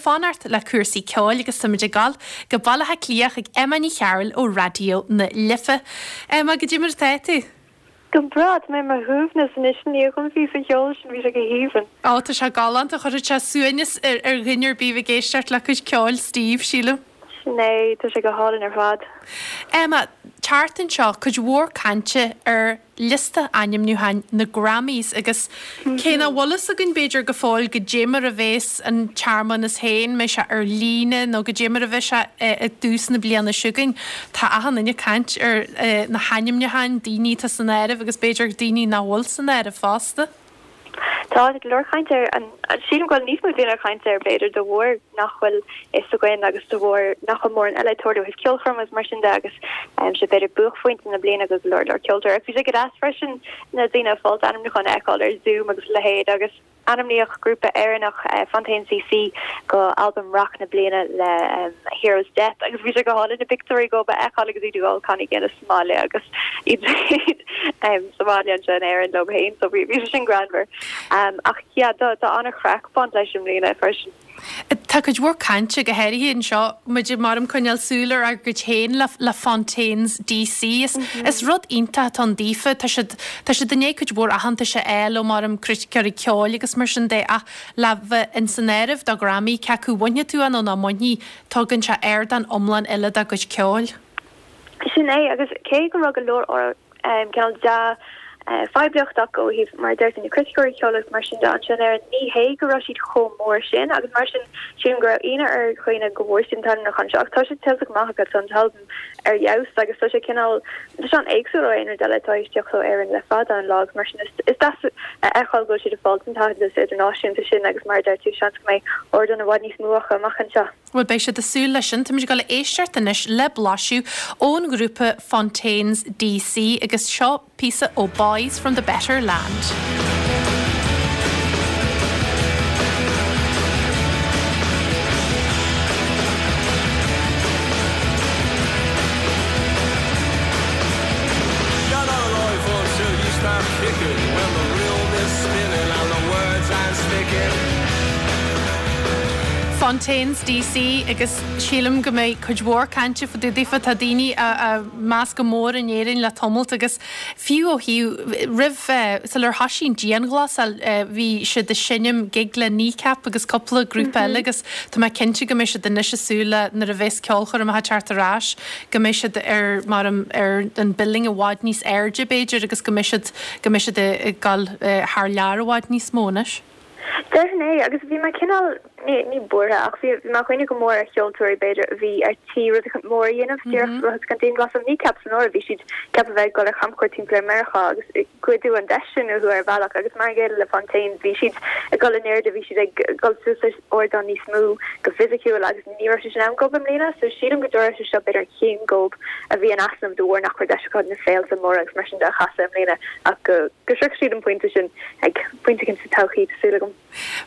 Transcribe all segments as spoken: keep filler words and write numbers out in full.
fanacht le cúrsaí ceoil agus táimid ag gabháil go Baile Átha Cliath chuig Emma Ní Chearúil ó Raidió na Life. Emma, goidé mar atá tú? Go breá, tá mé ar mo shuaimhneas anois i ndiaidh an phíosa cheoil sin, bhí sé go haoibhinn. Ó, tá sé galánta, chuirfeadh sé suaimhneas ar ar dhuine ar bith ag éisteacht le cuid ceoil Steve, sílim. Sin é, tá sé go hálainn ar fad. Emma, tseachtain seo, cuid mhór cainte ar liosta ainmniúcháin na Grammys agus cé nach bhfuil fhios againn b'fhéidir go fóill goidé mar a bheas an tsearmanas féin, mbeidh sé ar líne nó goidé mar a bheidh sé i dtús na bliana seo chugainn, tá achan duine ag caint ar na hainmniúcháin, daoine atá san áireamh agus b'fhéidir daoine nach bhfuil san áireamh fosta. Tá go leor cainte air. Sílim go bhfuil níos mó daoine ag caint air, b'fhéidir, de bharr nach bhfuil fhios againn agus de bharr nach bhfuil mórán eile ag tarlú ó thaobh ceolchoirm agus mar sin de agus sé b'fhéidir buaicphointe na bliana do go leor leor ceoltóirí. Ach bhí sé go deas freisin na daoine ag fáil ainmniúcháin a fheiceáil ar Zoom agus a leithéid agus ainmníodh grúpa Éireannach, Fontaines DC, do albam rac na bliana le A Hero's Death agus bhí sé go hálainn na pictiúirí dhóibh a fheiceáil agus iad ag ól cannaí Guinness sa mbaile agus iad sa bhaile anseo in Éirinn leo féin so bhí sé sin greannmhar. Ach yeah tá tá an-chraic ag baint leis i mbliana freisin. Tá cuid mhór cainte, go háirithe anseo, muid ag maram coinneáil súil ar ár gcuid féin le le Fontaines DC. Is is rud iontach atá ann daofa. Tá siad tá siad i ndiaidh cuid mhór aitheantais a fháil ó maram criticeoirí ceoil agus mar sin de ach le bheith ins an áireamh do Ghrammy, cé acu bhainfidh tú é nó nach mbainfidh, tugann sé ardán iomlán eile dá gcuid ceoil. Sin é, agus cé go raibh go leor cineál dea-phoiblíocht acu ó thaobh, mar a deir tú, na criticeoirí ceoil agus mar sin de anseo in Éirinn, ní hé go raibh siad chomh mór sin agus mar sin sílim go raibh ionadh ar dhaoine go bhfuair siad an t-ainmniúchán seo ach tá sé tuillte go maith acu, tá an t-albam ar fheabhas agus tá sé cineál, tá sé an-éagsúil ó aon rud eile atá tar éis teacht ó Éirinn le fada an lá agus mar sin is deas a fheiceáil go bhfuil siad ag fáil an t-aitheantas idirnáisiúnta sin agus mar a deir tú, seans go mbeidh ardán i bhfad níos mó acu amach anseo. Bhuel, beidh siad ag súil leis sin. Táimid ag dul a éisteacht anois le blaiseadh ón ghrúpa Fontaines DC agus seo píosa ó Boys from the Better Land. You're not alive until you start kicking When the room is spinning and the words aren't sticking Fontaines DC agus sílim go mbeidh cuid mhór cainte fá dtaobh daofa. Tá daoine á á meas go mór in Éirinn le tamalt agus fiú ó thaobh roimh sular thoisigh an dianghlasáil bhí siad ag seinm gig le Kneecap agus cúpla grúpa eile agus tá mé cinnte go mbeidh siad anois ag súil le nuair a bheas ceolchoirmeacha ag teacht ar ais go mbeidh siad ar mar ar an billing i bhfad níos airde b'fhéidir agus go mbeidh siad go mbeidh siad ag dul thar lear i bhfad níos mó anois. Déarfainn é, agus bhí mé cineál, ní, ní buartha, ach bhí, bhí mé ag cuimhneamh go mór ar cheoltóirí, b'fhéidir, a bhí ar tí rud éicint mór a dhéanamh díreach roimh an dianghlasáil. Kneecap san áireamh, bhí siad ceaptha a bheith ag dul ar chamchuairt timpeall ar Meiriceá agus goideadh an deis sin uathu ar bhealach agus mar an gcéanna le Fontaines, bhí siad ag dul in airde, bhí siad ag dul suas ar ardán níos mó go fisiciúil agus ní raibh sé sin ann dóibh i mbliana so sílim go dtarla sé seo b'fhéidir an chéim dhóibh a bhí in easnamh de bharr nach raibh deis acu na féilte móra agus mar sin de a chasadh i mbliana ach go go sroichfidh siad an pointe sin ag pointe éicint sa todhchaí, tá súil agam.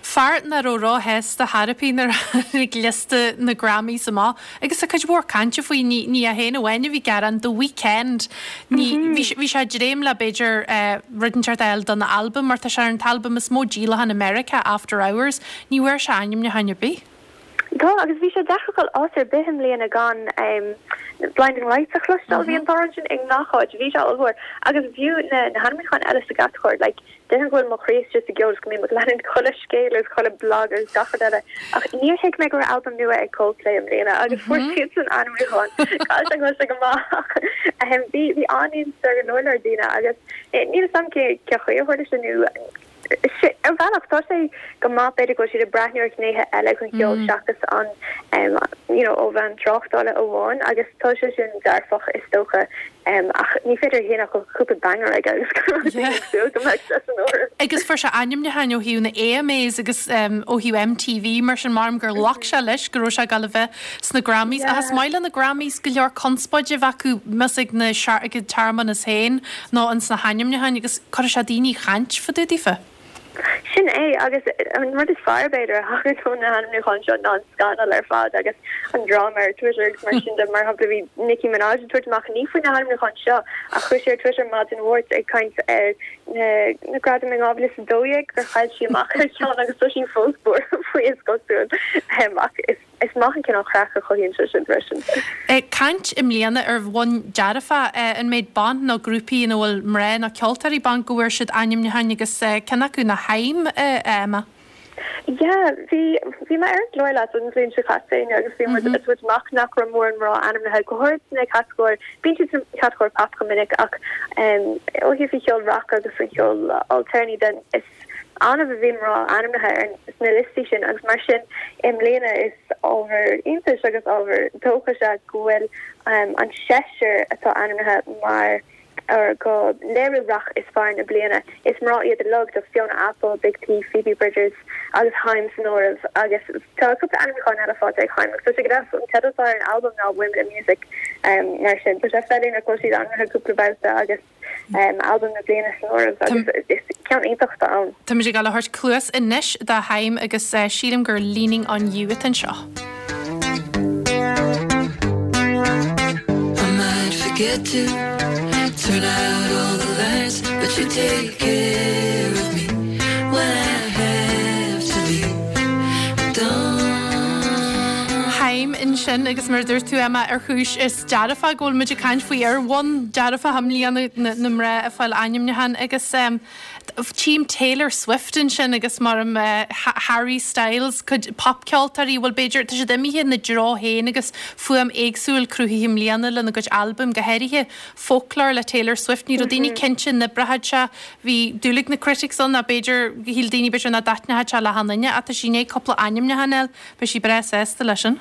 Fear nach raibh róshásta chor ar bith nuair a tháinig liosta na Grammys amach agus tá cuid mhór cainte faoi, ní ní é féin amháin a bhí ag gearán, The Weeknd, ní, bhí sé bhí sé ag dréim le b'fhéidir rud inteacht a fháil don albam mar tá sé ar an t-albam is mó díolachán i Meiriceá, After Hours, ní bhfuair sé ainmniúchán ar bith. Tá, agus bhí sé deacair dul áit ar bith i mbliana gan Blinding Lights a chloisteáil. Bhí an t-amhrán sin i ngach áit, bhí sé ollmhór. Agus fiú na na hainmniúcháin eile sa gcatagóir, like, déarfainn go bhfuil mo chroí istigh sa gceol is go mbím ag leanúint chuile scéal agus chuile blag agus gach rud eile, ach níor thuig mé go raibh albam nua ag Coldplay i mbliana agus fuair siadsan ainmniúchán. Caithfidh sé go bhfuil sé go maith ach bhí bhí an-iontas ar go leor leor daoine agus níl 'fhios a'm cé cé chaoi a tharla sé nó Ar bhealach, tá sé go maith, b'fhéidir go bhfuil siad ag breathnú ar ghnéithe eile den cheol seachas an you know ó bhonn tráchtála amháin agus tá sé sin dearfach is dócha ach ní féidir a shéanadh go bhfuil cúpla banger aige agus go raibh daoine ag súil go mbeadh sé san áireamh. Agus fuair sé ainmniúcháin ó thaobh na AMAs agus ó thaobh MTV mar sin maram gur ghlac sé leis go raibh sé ag dul a bheith sna Grammys. Ach is maith le na Grammys go leor conspóide a bheith acu más ag na ag an searmanas féin nó ins na hainmniúcháin agus cuirfidh sé daoine ag caint fá dtaobh daofa. Sin é agus an rud is fearr b'fhéidir a thagann ó na hainmniúcháin seo ná an scannal ar fad agus an dráma ar Twitter agus mar sin de mar shampla bhí Nicki Minaj ag tabhairt amach ní faoi na hainmniúcháin seo ach chuir sí ar Twitter maidin Mháirt ag caint ar na na gradaim in dhá mhíle is a dó dhéag gur chaill sí amach ar cheann agus tá sí fós buartha faoi is cosúil ach is is maith an cineál craic a chothaíonn sé sin freisin. Ag caint i mbliana ar bhonn dearfach, an méid ban nó grúpaí ina bhfuil mná nó ceoltóirí ban go bhfuair siad ainmniúcháin agus ceann acu ná Haim, a Emma? Yeah, bhí bhí mé ar an gclár leat an bhliain seo caite agus bhí muid ag tabhairt amach nach raibh mórán mná ainmnithe go háirid sna catagóir, bíonn siad sa chatagóir pop go minic ach ó thaobh an cheoil rac agus an cheoil alternative den is annamh a bhí mná ainmnithe ar sna liostaí sin agus mar sin i mbliana is ábhar iontais agus ábhar dóchais é go bhfuil an seisear atá ainmnithe mar ar go léiriú rac is fearr na bliana. Is mná iad uilig tá Fiona Apple, Big Thief, Phoebe Bridgers agus Haim san áireamh agus tá cúpla ainmniúchán eile faighte ag Haim agus tá sé go deas an teideal atá ar an albam ná Women in Music mar sin tá sé feiliúnach go bhfuil siad ainmnithe cúpla babhta agus albam na bliana san áireamh agus is ceann iontach atá ann. Táimid ag dul a thabhairt cluas anois do Haim agus sílim gur Leaning on You atá anseo. I might forget to turn out all the lights, but you take care of me when I have to leave. Don't Haim ansin agus mar a dúirt tú Emma ar chúis is dearfach go bhfuil muid ag caint faoi ar bhonn dearfach i mbliana na mná ag fáil ainmniúchán agus tchím Taylor Swift ansin agus mar Harry Styles cuid popcheoltóirí bhfuil b'fhéidir tá siad imithe ina dtreo féin agus fuaim éagsúil cruthaithe i mbliana lena gcuid albaim go háirithe Folklore le Taylor Swift ní raibh daoine cinnte an oibreodh sé bhí dúil ag na critics ann ná b'fhéidir shíl daoine b'fhéidir nach dtaitneodh sé le haon duine ach tá sí i ndiaidh cúpla ainmniúchán a fháil beidh sí breá sásta leis sin.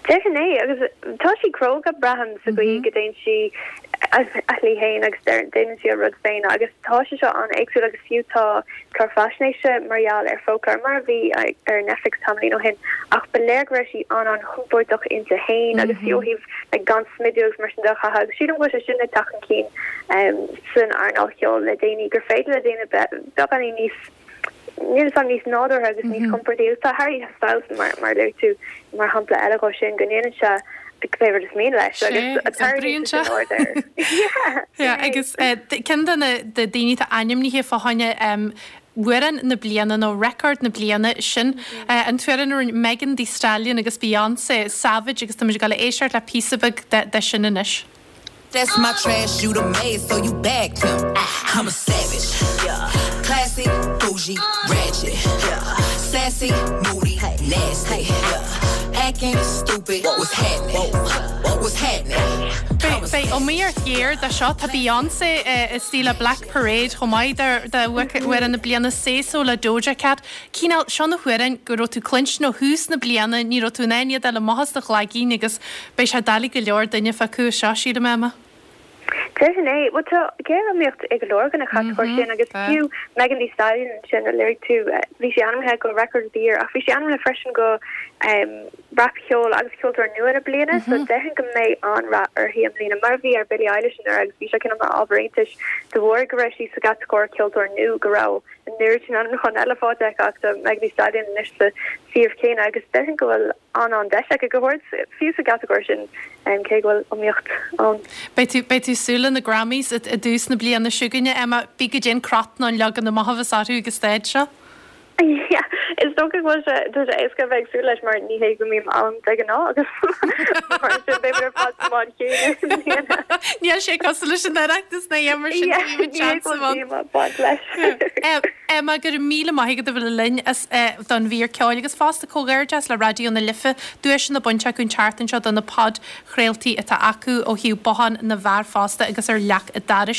Déarfainn é agus tá sí cróga braithim sa gcaoi go dtéann sí a shlí féin agus déanann sí a rud féin agus tá sé seo an-éagsúil agus fiú tá clár faisnéise mar gheall ar Folklore mar a bhí ar Netflix tamaillín ó shin ach ba léir go raibh sí an-an-chompordach inti féin agus fiú ó thaobh like, gan smideadh agus mar sin de a chaitheamh agus sílim go bhfuil sé sin ag teacht chun cinn san earnáil cheoil le déanaí gur féidir le daoine beagáinín níos Níl a fhios agam níos nádúrtha agus níos compordaí. Tá Harry Styles mar mar luaigh tú mar shampla eile dhó sin go ndéanann sé cibé rud is mian leis agus oibríonn sé. Agus ceann de na daoine atá ainmnithe fá choinne amhrán na bliana nó record na bliana sin an t-amhrán a rinne Megan Thee Stallion agus Beyoncé, Savage agus táimid ag dul a éisteacht le píosa beag de sin anois. That's my trash, you the maid, so you bagged him. I'm a savage. Classy, bougie, ratchet. Sassy, moody, nasty. Acting stupid, what's happening? What's happening? Beidh iomaíocht ghéar do seo tá Beyoncé istigh le Black Parade chomh maith d'amhrán na bliana Say So le Doja Cat. Cineál seo na hamhráin go raibh tú cluinstin ó thús na bliana, ní raibh tú in ann iad a fháil amach as do chloigeann agus beidh sé doiligh go leor duine fágáil seo, sílim Emma. Déarfainn é. Bhuel tá géariomaíocht ag go leor de na catagóirí sin agus fiú Megan Thee Stallion ansin a luaigh tú, bhí sí ainmnithe go Record of the Year ach bhí sí ainmnithe freisin go rapcheol agus ceoltóir nua na bliana so déarfainn go mbeidh an-rath uirthi i mbliana mar a bhí ar Billie Eilish anuraidh agus bhí sé cineál mar ábhar iontais de bharr go raibh sí sa gcatagóir ceoltóir nua go raibh an oiread sin ainmniúchán eile faighte aici ach tá Megan Thee Stallion anois sa suíomh céanna agus déarfainn go bhfuil an-an-deis aici go háirid fiú sa gcatagóir sin cé go bhfuil iomaíocht ann. Beidh tú beidh tú ag súil le na Grammys i dtús na bliana seo chugainne, Emma. Bí go dtéann crot nó an leagan amach a bheas orthu ag an staid seo. Yeah, is dócha go bhfuil sé tá sé éasca a bheith ag súil leis mar ní hé go mbím ann de ghnáth agus mar sin beidh ar fad sa mbád chéanna i mbliana. Níl sé cosúil leis an Oireachtas ná é mar sin Yeah, níl ní hé seans go ann. bhfuil díomá ag baint leis. Emma, go raibh míle maith agat a bheith linn as don mhír ceoil agus fosta comhghairdeas le Raidió na Life, duaiseanna bainte acu an tseachtain seo do na podchraoltaí atá acu ó thaobh Bothán na bhFear fosta agus ar leac an dorais.